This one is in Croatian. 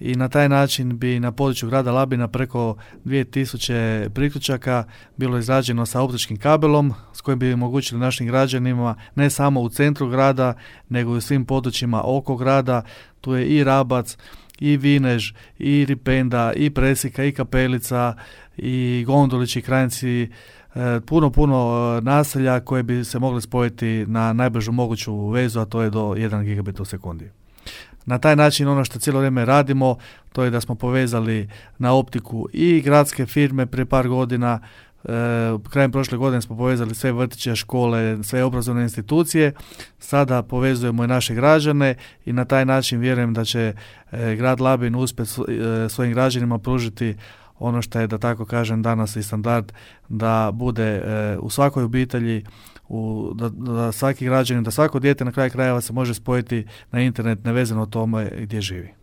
i na taj način bi na području grada Labina preko 2000 priključaka bilo izrađeno sa optičkim kabelom s kojim bi omogućili našim građanima ne samo u centru grada nego i u svim područjima oko grada. Tu je i Rabac, i Vinež, i Ripenda, i Presika, i Kapelica, i Gondolić, i Kranjci, puno naselja koje bi se mogli spojiti na najbržu moguću vezu, a to je do 1 gigabit u sekundi. Na taj način ono što cijelo vrijeme radimo, to je da smo povezali na optiku i gradske firme prije par godina. Krajem prošle godine smo povezali sve vrtiće, škole, sve obrazovne institucije. Sada povezujemo i naše građane i na taj način vjerujem da će grad Labin uspjeti svojim građanima pružiti ono što je, da tako kažem, danas i standard, da bude u svakoj obitelji, da svaki građanin, da svako dijete na kraju krajeva se može spojiti na internet nevezano o tome gdje živi.